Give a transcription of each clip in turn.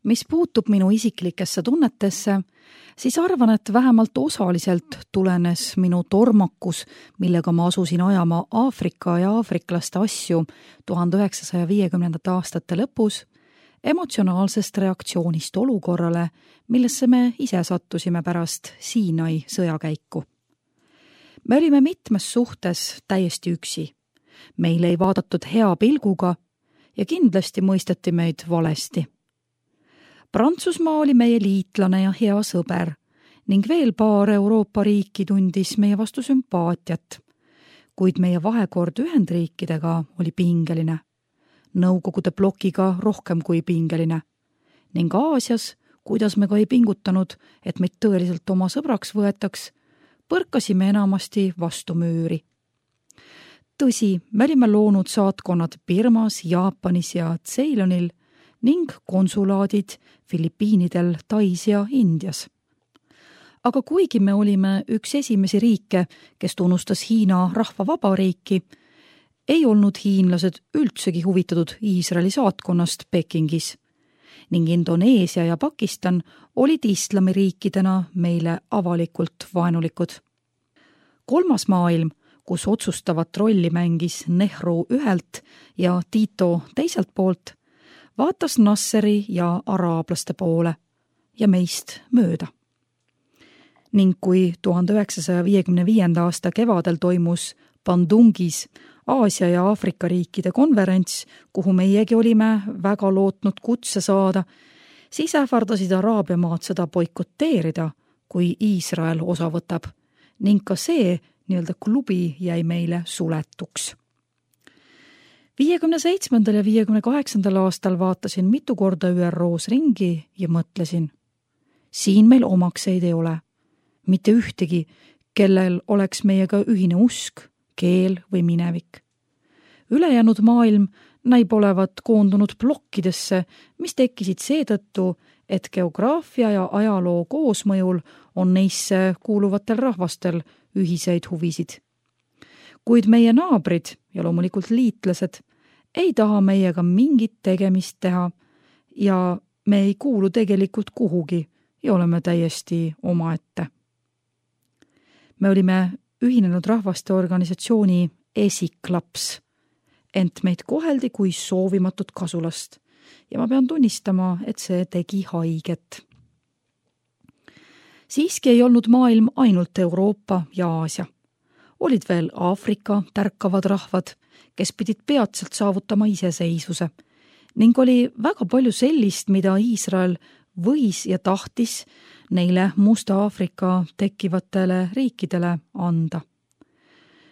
Mis puutub minu isiklikesse tunnetesse, siis arvan, et vähemalt osaliselt tulenes minu tormakus, millega ma asusin ajama Aafrika ja aafriklaste asju 1950. aastate lõpus, emotsionaalsest reaktsioonist olukorrale, millesse me ise sattusime pärast Siinai sõjakäiku. Me olime mitmes suhtes täiesti üksi. Meile ei vaadatud hea pilguga ja kindlasti mõisteti meid valesti. Prantsusmaa oli meie liitlane ja hea sõber ning veel paar Euroopa riiki tundis meie vastu sümpaatiat, kuid meie vahekord Ühendriikidega oli pingeline, Nõukogude blokiga rohkem kui pingeline ning Aasias, kuidas me ka ei pingutanud, et meid tõeliselt oma sõbraks võetaks, põrkasime enamasti vastu müüri. Tõsi, me olime loonud saatkonnad Birmas, Jaapanis ja Ceylonil ning konsulaadid Filipiinidel, Tais ja Indias. Aga kuigi me olime üks esimesi riike, kes tunnustas Hiina rahvavabariiki, ei olnud hiinlased üldsegi huvitatud Iisraeli saatkonnast Pekingis ning Indoneesia ja Pakistan olid islamiriikidena meile avalikult vaenulikud. Kolmas maailm, kus otsustavat rolli mängis Nehru ühelt ja Tito teiselt poolt, vaatas Nasseri ja araablaste poole ja meist mööda. Ning kui 1955. aasta kevadel toimus Bandungis Aasia ja Aafrika riikide konverents, kuhu meiegi olime väga lootnud kutse saada, siis ähvardasid Araabia maad seda boikoteerida, kui Iisrael osa võtab, ning ka see nii-öelda klubi jäi meile suletuks. 57. ja 58. aastal vaatasin mitu korda ÜROs ringi ja mõtlesin, siin meil omakseid ei ole, mitte ühtegi, kellel oleks meiega ühine usk, keel või minevik. Ülejäänud maailm näib olevat koondunud plokkidesse, mis tekkisid seetõttu, et geograafia ja ajaloo koosmõjul on neisse kuuluvatel rahvastel ühiseid huvisid. Kuid meie naabrid ja loomulikult liitlased ei taha meiega mingit tegemist teha ja me ei kuulu tegelikult kuhugi ja oleme täiesti omaette. Me olime Ühinenud Rahvaste Organisatsiooni esiklaps, ent meid koheldi kui soovimatut kasulast ja ma pean tunnistama, et see tegi haiget. Siiski ei olnud maailm ainult Euroopa ja Aasia. Olid veel Aafrika tärkavad rahvad, kes pidid peatselt saavutama iseseisvuse ning oli väga palju sellist, mida Iisrael võis ja tahtis neile Musta Aafrika tekkivatele riikidele anda.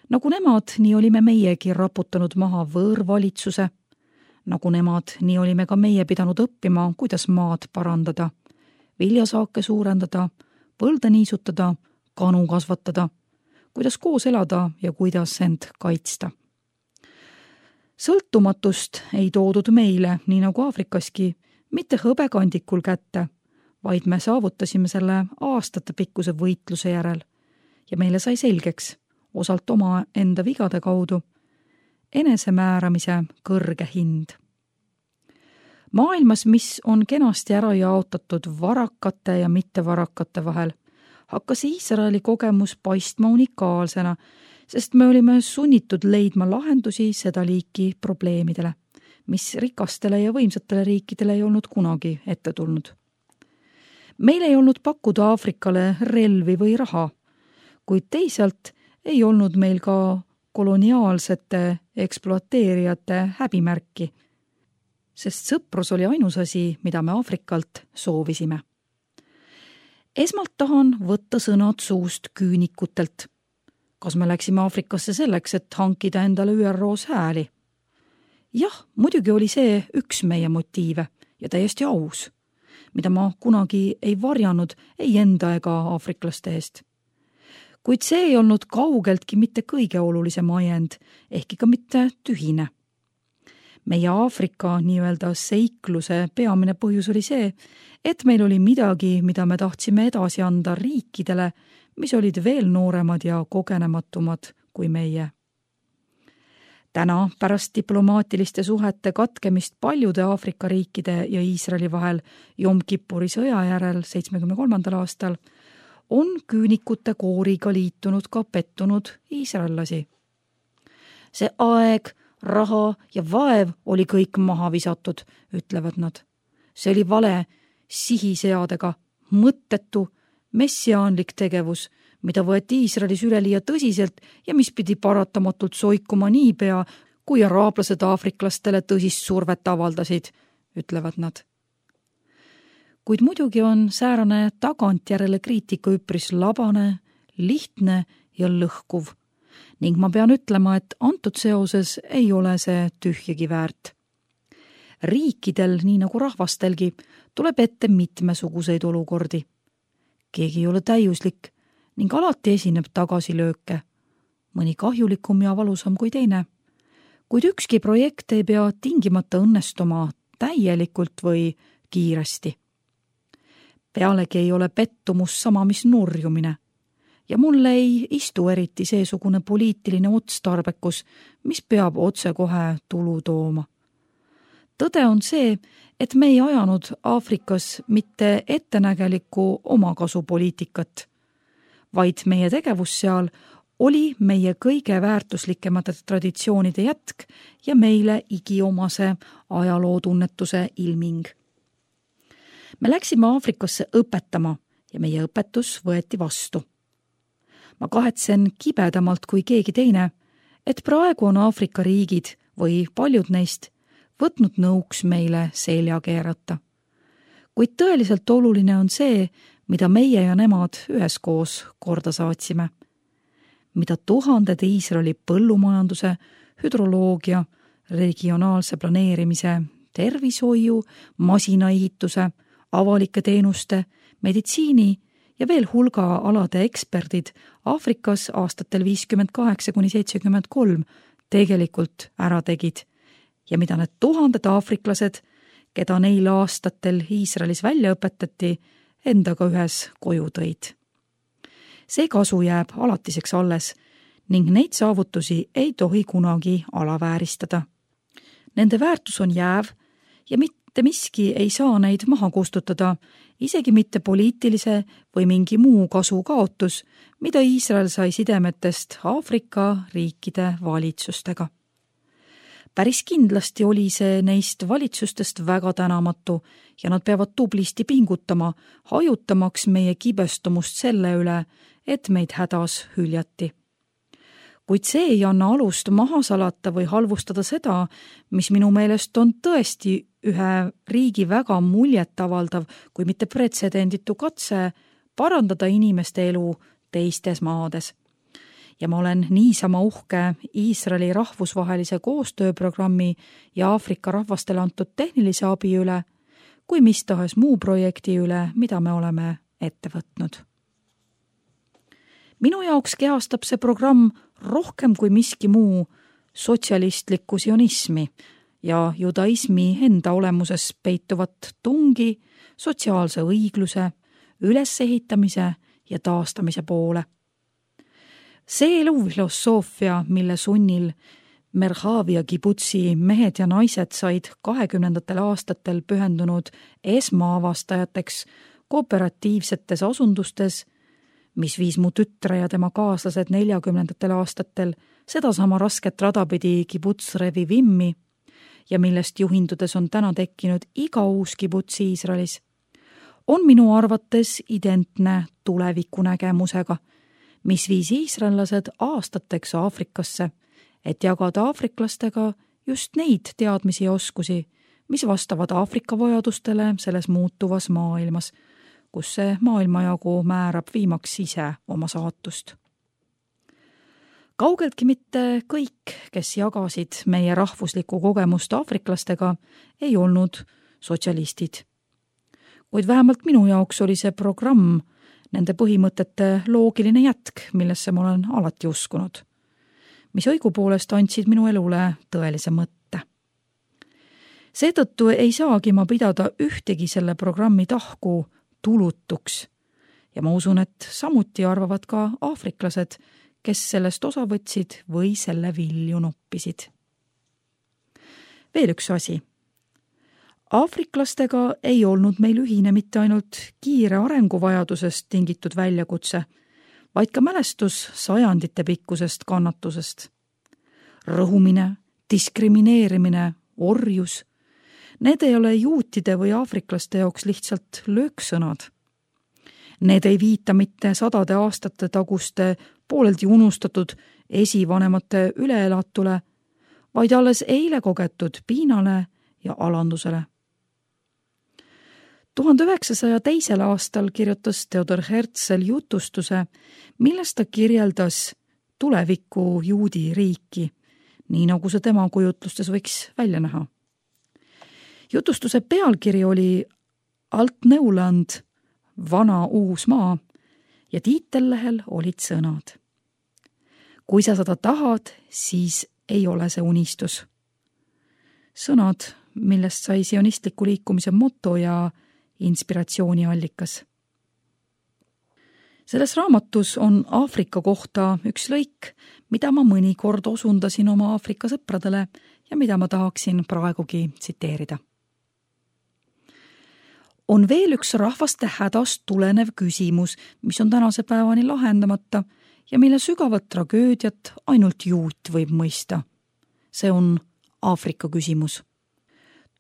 Nagu nemad, nii olime meiegi raputanud maha võõrvalitsuse. Nagu nemad, nii olime ka meie pidanud õppima, kuidas maad parandada, viljasaake suurendada, põlde niisutada, kanu kasvatada, kuidas koos elada ja kuidas end kaitsta. Sõltumatust ei toodud meile, nii nagu Aafrikaski, mitte hõbekandikul kätte, vaid me saavutasime selle aastate pikkuse võitluse järel ja meile sai selgeks, osalt oma enda vigade kaudu, enesemääramise kõrge hind. Maailmas, mis on kenasti ära jaotatud varakate ja mittevarakate vahel, hakkas Iisraeli kogemus paistma unikaalsena, sest me olime sunnitud leidma lahendusi seda liiki probleemidele, mis rikastele ja võimsatele riikidele ei olnud kunagi ette tulnud. Meil ei olnud pakkuda Aafrikale relvi või raha, kuid teisalt ei olnud meil ka koloniaalsete ekspluateerijate häbimärki, sest sõprus oli ainus asi, mida me Aafrikalt soovisime. Esmalt tahan võtta sõnad suust küünikutelt. Kas me läksime Aafrikasse selleks, et hankida endale ÜROs hääli? Jah, muidugi oli see üks meie motiive ja täiesti aus, mida ma kunagi ei varjanud ei enda ega aafriklaste eest. Kuid see ei olnud kaugeltki mitte kõige olulisem ajend, ehkki ka mitte tühine. Meie Aafrika nii-öelda seikluse peamine põhjus oli see, et meil oli midagi, mida me tahtsime edasi anda riikidele, mis olid veel nooremad ja kogenematumad kui meie. Täna pärast diplomaatiliste suhete katkemist paljude Aafrika riikide ja Iisraeli vahel Jom Kippuri sõja järel 73. aastal on küünikute kooriga liitunud ka pettunud iisraellasi. See aeg, raha ja vaev oli kõik maha visatud, ütlevad nad. See oli vale, sihiseadega, mõttetu, messiaanlik tegevus, mida võeti Iisraelis üleliia tõsiselt ja mis pidi paratamatult soikuma niipea, kui araablased aafriklastele tõsist survet avaldasid, ütlevad nad. Kuid muidugi on säärane tagantjärele kriitika üpris labane, lihtne ja lõhkuv ning ma pean ütlema, et antud seoses ei ole see tühjagi väärt. Riikidel, nii nagu rahvastelgi, tuleb ette mitmesuguseid olukordi. Keegi ei ole täiuslik ning alati esineb tagasilööke, mõni kahjulikum ja valusam kui teine. Kuid ükski projekt ei pea tingimata õnnestuma täielikult või kiiresti. Pealegi ei ole pettumus sama, mis nurjumine. Ja mulle ei istu eriti seesugune poliitiline otstarbekus, mis peab otsekohe tulu tooma. Tõde on see, et me ei ajanud Aafrikas mitte ettenägelikku omakasupoliitikat, vaid meie tegevus seal oli meie kõige väärtuslikemate traditsioonide jätk ja meile igiomase ajalootunnetuse ilming. Me läksime Aafrikasse õpetama ja meie õpetus võeti vastu. Ma kahetsen kibedamalt kui keegi teine, et praegu on Aafrika riigid või paljud neist võtnud nõuks meile selja keerata. Kuid tõeliselt oluline on see, mida meie ja nemad üheskoos korda saatsime. Mida tuhanded Iisraeli põllumajanduse, hüdroloogia, regionaalse planeerimise, tervishoiu, masinaehituse, avalike teenuste, meditsiini ja veel hulga alade eksperdid Aafrikas aastatel 58–73 tegelikult ära tegid ja mida need tuhanded aafriklased, keda neil aastatel Iisraelis välja õpetati, endaga ühes koju tõid. See kasu jääb alatiseks alles ning neid saavutusi ei tohi kunagi alavääristada. Nende väärtus on jääv ja mitte miski ei saa neid maha kustutada, isegi mitte poliitilise või mingi muu kasu kaotus, mida Iisrael sai sidemetest Aafrika riikide valitsustega. Päris kindlasti oli see neist valitsustest väga tänamatu ja nad peavad tublisti pingutama, hajutamaks meie kibestumust selle üle, et meid hädas hüljati. Kuid see ei anna alust maha salata või halvustada seda, mis minu meelest on tõesti ühe riigi väga muljetavaldav, kui mitte pretsedenditu katse parandada inimeste elu teistes maades. Ja ma olen niisama uhke Iisraeli rahvusvahelise koostööprogrammi ja Aafrika rahvastele antud tehnilise abi üle, kui mis tahes muu projekti üle, mida me oleme ette võtnud. Minu jaoks kehastab see programm rohkem kui miski muu sotsialistlikku sionismi ja judaismi enda olemuses peituvat tungi sotsiaalse õigluse, ülesehitamise ja taastamise poole. See elufilosoofia, mille sunnil Merhavia kibutsi mehed ja naised said 20. aastatel pühendunud esmaavastajateks kooperatiivsetes asundustes, mis viis mu tütre ja tema kaaslased 40. aastatel sedasama rasket radapidi kibuts Revivimmi ja millest juhindudes on täna tekkinud iga uus kibuts Iisraelis, on minu arvates identne tulevikunägemusega, mis viis iisraellased aastateks Aafrikasse, et jagada aafriklastega just neid teadmisi ja oskusi, mis vastavad Aafrika vajadustele selles muutuvas maailmas, kus see maailmajagu määrab viimaks ise oma saatust. Kaugeltki mitte kõik, kes jagasid meie rahvuslikku kogemust aafriklastega, ei olnud sotsialistid. Kuid vähemalt minu jaoks oli see programm nende põhimõtete loogiline jätk, millesse ma olen alati uskunud, mis õigupoolest andsid minu elule tõelise mõtte. Seetõttu ei saagi ma pidada ühtegi selle programmi tahku tulutuks ja ma usun, et samuti arvavad ka aafriklased, kes sellest osa võtsid või selle vilju noppisid. Veel üks asi. Aafriklastega ei olnud meil ühine mitte ainult kiire arenguvajadusest tingitud väljakutse, vaid ka mälestus sajandite pikkusest kannatusest. Rõhumine, diskrimineerimine, orjus. Need ei ole juutide või aafriklaste jaoks lihtsalt lööksõnad. Need ei viita mitte sadade aastate taguste pooleldi unustatud esivanemate üleelatule, vaid alles eile kogetud piinale ja alandusele. 1902. aastal kirjutas Theodor Herzl jutustuse, milles ta kirjeldas tuleviku juudi riiki, nii nagu see tema kujutlustes võiks välja näha. Jutustuse pealkiri oli Alt-Neuland, vana uus maa ja tiitellehel olid sõnad. Kui sa seda tahad, siis ei ole see unistus. Sõnad, millest sai sionistliku liikumise moto ja inspiratsiooniallikas. Selles raamatus on Aafrika kohta üks lõik, mida ma mõnikord osundasin oma Aafrika sõpradele ja mida ma tahaksin praegugi tsiteerida. On veel üks rahvaste hädast tulenev küsimus, mis on tänase päevani lahendamata ja mille sügavat tragöödiat ainult juut võib mõista. See on Aafrika küsimus.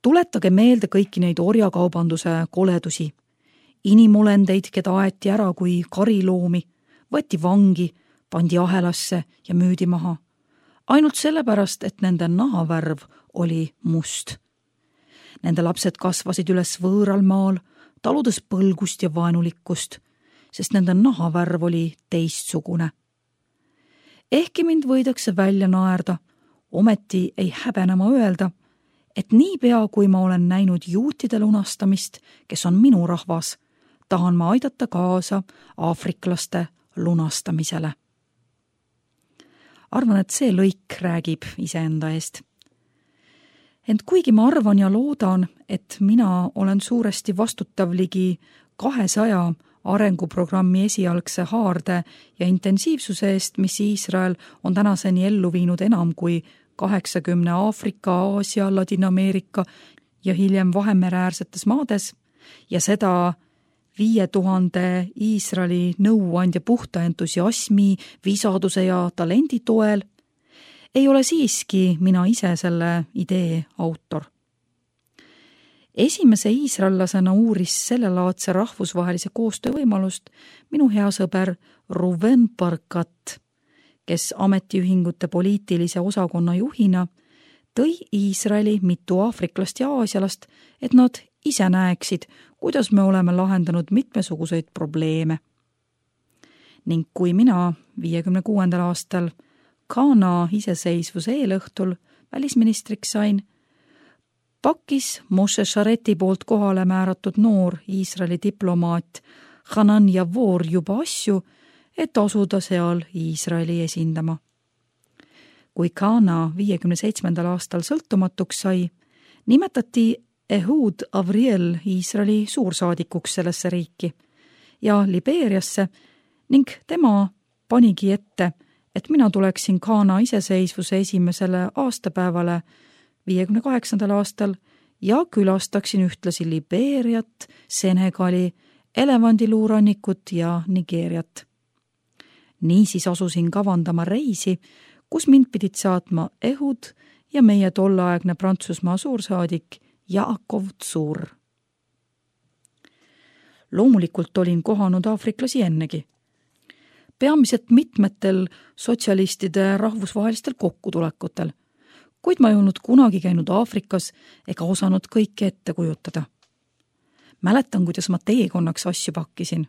Tuletage meelde kõiki neid orjakaubanduse koledusi. Inimolendeid, keda aeti ära kui kariloomi, võeti vangi, pandi ahelasse ja müüdi maha. Ainult sellepärast, et nende nahavärv oli must. Nende lapsed kasvasid üles võõral maal, taludes põlgust ja vaenulikkust, sest nende nahavärv oli teistsugune. Ehkki mind võidakse välja naerda, ometi ei häbenema öelda, et niipea, kui ma olen näinud juutide lunastamist, kes on minu rahvas, tahan ma aidata kaasa aafriklaste lunastamisele. Arvan, et see lõik räägib iseenda eest. Ent kuigi ma arvan ja loodan, et mina olen suuresti vastutav ligi 200 arenguprogrammi esialgse haarde ja intensiivsuse eest, mis Iisrael on tänaseni ellu viinud enam kui 80 Aafrika, Aasia, Ladina-Ameerika ja hiljem Vahemereäärsetes maades ja seda 5000 Iisraeli nõuandja puhta entusiasmi, visaduse ja talendi toel, ei ole siiski mina ise selle idee autor. Esimese iisraellasena uuris sellelaadse rahvusvahelise koostöö võimalust minu hea sõber Ruven Barkat, kes ametiühingute poliitilise osakonna juhina tõi Iisraeli mitu aafriklast ja aasialast, et nad ise näeksid, kuidas me oleme lahendanud mitmesuguseid probleeme. Ning kui mina 56. aastal Ghana iseseisvuse eelõhtul välisministriks sain, pakkis Moshe Shareti poolt kohale määratud noor Iisraeli diplomaat Hanan Yavor juba asju, et asuda seal Iisraeli esindama. Kui Ghana 57. aastal sõltumatuks sai, nimetati Ehud Avriel Iisraeli suursaadikuks sellesse riiki ja Libeeriasse ning tema panigi ette, et mina tuleksin Ghana iseseisvuse esimesele aastapäevale 58. aastal ja külastaksin ühtlasi Libeeriat, Senegali, Elevandiluurannikut ja Nigeeriat. Niisiis asusin kavandama reisi, kus mind pidid saatma Ehud ja meie tolleaegne Prantsusmaa suursaadik Jaakov Tsur. Loomulikult olin kohanud aafriklasi ennegi. Peamiselt mitmetel sotsialistide rahvusvahelistel kokkutulekutel, kuid ma ei olnud kunagi käinud Aafrikas ega osanud kõike ette kujutada. Mäletan, kuidas ma teekonnaks asju pakkisin.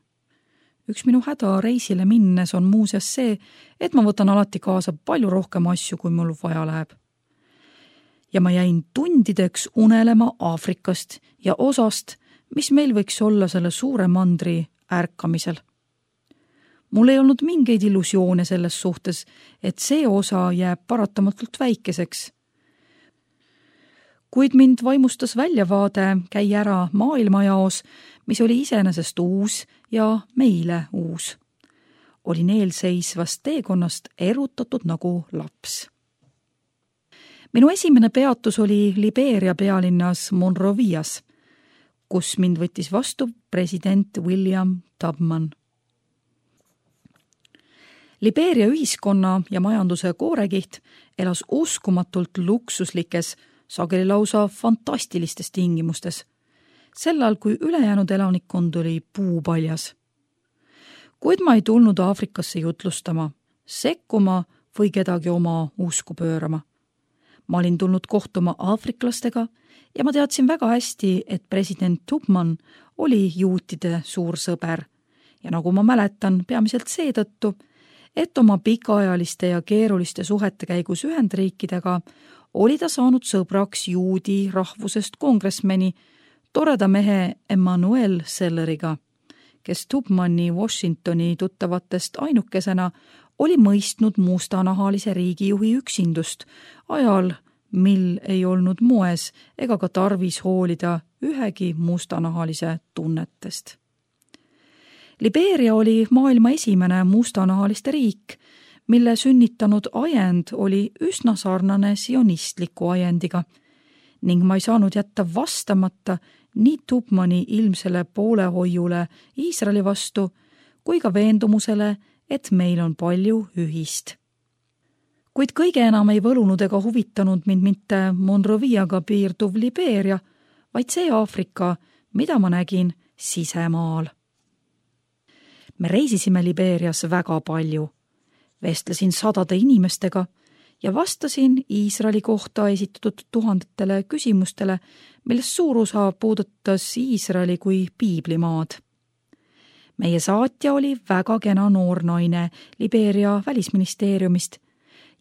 Üks minu häda reisile minnes on muuseas see, et ma võtan alati kaasa palju rohkem asju, kui mul vaja läheb. Ja ma jäin tundideks unelema Aafrikast ja osast, mis meil võiks olla selle suure mandri ärkamisel. Mul ei olnud mingeid illusioone selles suhtes, et see osa jääb paratamatult väikeseks. Kuid mind vaimustas väljavaade käi ära maailmajaos, mis oli iseenesest uus ja meile uus. Olin eelseisvast teekonnast erutatud nagu laps. Minu esimene peatus oli Liberia pealinnas Monrovias, kus mind võttis vastu president William Tubman. Liberia ühiskonna ja majanduse koorekiht elas uskumatult luksuslikes, sageli lausa fantastilistes tingimustes, sellal kui ülejäänud elanikkond oli puupaljas. Kuid ma ei tulnud Aafrikasse jutlustama, sekkuma või kedagi oma usku pöörama. Ma olin tulnud kohtuma aafriklastega ja ma teadsin väga hästi, et president Tubman oli juutide suur sõber ja nagu ma mäletan, peamiselt seetõttu, et oma pikaajaliste ja keeruliste suhete käigus Ühendriikidega oli ta saanud sõbraks juudi rahvusest kongressmeni, toreda mehe Emmanuel Selleriga, kes Tubmani Washingtoni tuttavatest ainukesena oli mõistnud mustanahalise riigijuhi üksindust ajal, mil ei olnud moes ega ka tarvis hoolida ühegi mustanahalise tunnetest. Liberia oli maailma esimene mustanahaliste riik, mille sünnitanud ajend oli üsna sarnane sionistliku ajendiga ning ma ei saanud jätta vastamata nii Tubmani ilmsele poolehoiule Iisraeli vastu kui ka veendumusele, et meil on palju ühist. Kuid kõige enam ei võlunud ega huvitanud mind mitte Monroviaga piirduv Liberia, vaid see Aafrika, mida ma nägin sisemaal. Me reisisime Liberias väga palju, vestlesin sadade inimestega ja vastasin Iisraeli kohta esitatud tuhandetele küsimustele, millest suur osa puudutas Iisraeli kui piiblimaad. Meie saatja oli väga kena noor naine Liberia välisministeeriumist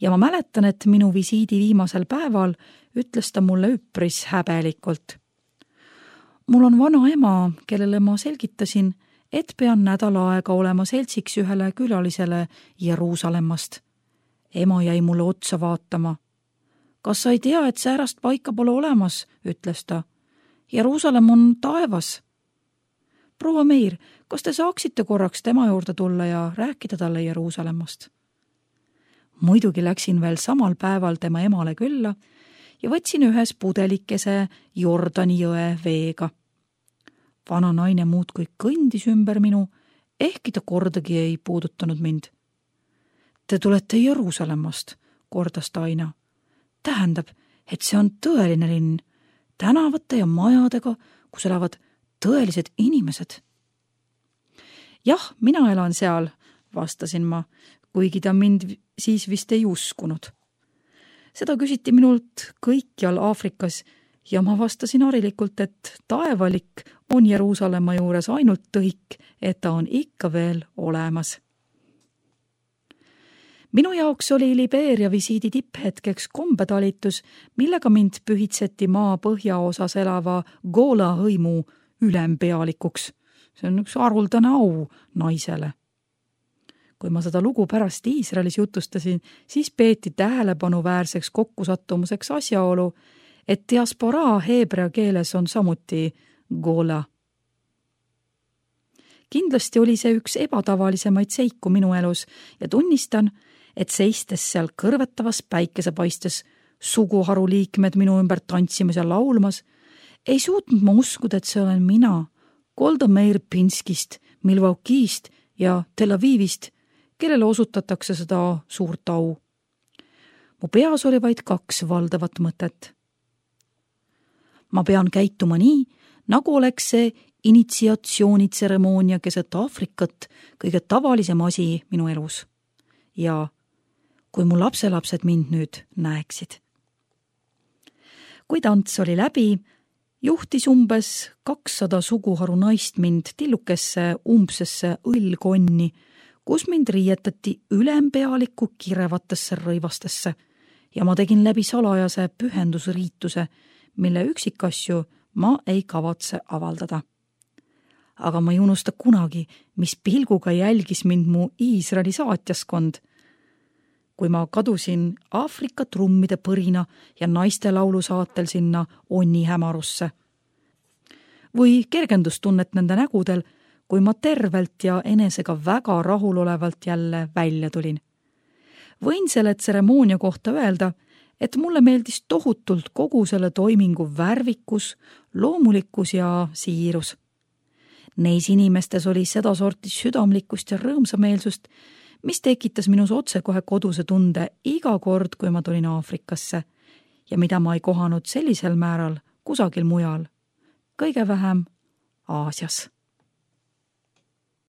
ja ma mäletan, et minu visiidi viimasel päeval ütles ta mulle üpris häbelikult. Mul on vana ema, kellele ma selgitasin, et pean nädal aega olema seltsiks ühele külalisele Jeruusalemmast. Ema jäi mulle otsa vaatama. Kas sa ei tea, et säärast paika pole olemas, ütles ta. Jeruusalemm on taevas. Proua Meir, kas te saaksite korraks tema juurde tulla ja rääkida talle Jeruusalemmast? Muidugi läksin veel samal päeval tema emale külla ja võtsin ühes pudelikese Jordani jõe veega. Vana naine muudkui kõndis ümber minu, ehkki ta kordagi ei puudutanud mind. Te tulete Jeruusalemmast, kordas ta aina. Tähendab, et see on tõeline linn, tänavate ja majadega, kus elavad tõelised inimesed. Jah, mina elan seal, vastasin ma, kuigi ta mind siis vist ei uskunud. Seda küsiti minult kõikjal Aafrikas ja ma vastasin harilikult, et taevalik on Jeruusalemma juures ainult tõik, et ta on ikka veel olemas. Minu jaoks oli Liberia visiidi tipphetkeks kombetalitus, millega mind pühitseti maa põhjaosas elava Gola hõimu ülempealikuks. See on üks haruldane au naisele. Kui ma seda lugu pärast Iisraelis jutustasin, siis peeti tähelepanuväärseks kokkusattumuseks asjaolu, et diasporaa heebrea keeles on samuti Gola. Kindlasti oli see üks ebatavalisemaid seiku minu elus ja tunnistan, et seistes seal kõrvetavas päikesepaistes suguharu liikmed minu ümber tantsimas ja laulmas, ei suutnud ma uskuda, et see olen mina, Golda Meir Pinskist, Milwaukee'st ja Tel Avivist, kellele osutatakse seda suurt au. Mu peas oli vaid 2 valdavat mõtet. Ma pean käituma nii, nagu oleks see initsiatsioonitseremoonia keset Aafrikat kõige tavalisem asi minu elus. Ja kui mu lapselapsed mind nüüd näeksid. Kui tants oli läbi, juhtis umbes 200 suguharu naist mind tillukesse umbsesse õllkonni, kus mind riietati ülempealiku kirevatesse rõivastesse ja ma tegin läbi salajase pühendusriituse, mille üksikasju ma ei kavatse avaldada. Aga ma ei unusta kunagi, mis pilguga jälgis mind mu Iisraeli saatjaskond. Kui ma kadusin Aafrika trummide põrina ja naiste laulu saatel sinna onni hämarusse. Või kergendustunnet nende nägudel, kui ma tervelt ja enesega väga rahulolevalt jälle välja tulin. Võin selle tseremoonia kohta öelda, et mulle meeldis tohutult kogu selle toimingu värvikus, loomulikkus ja siirus. Neis inimestes oli sedasorti südamlikkust ja rõõmsameelsust, mis tekitas minus otsekohe koduse tunde iga kord, kui ma tulin Aafrikasse ja mida ma ei kohanud sellisel määral kusagil mujal, kõige vähem Aasias.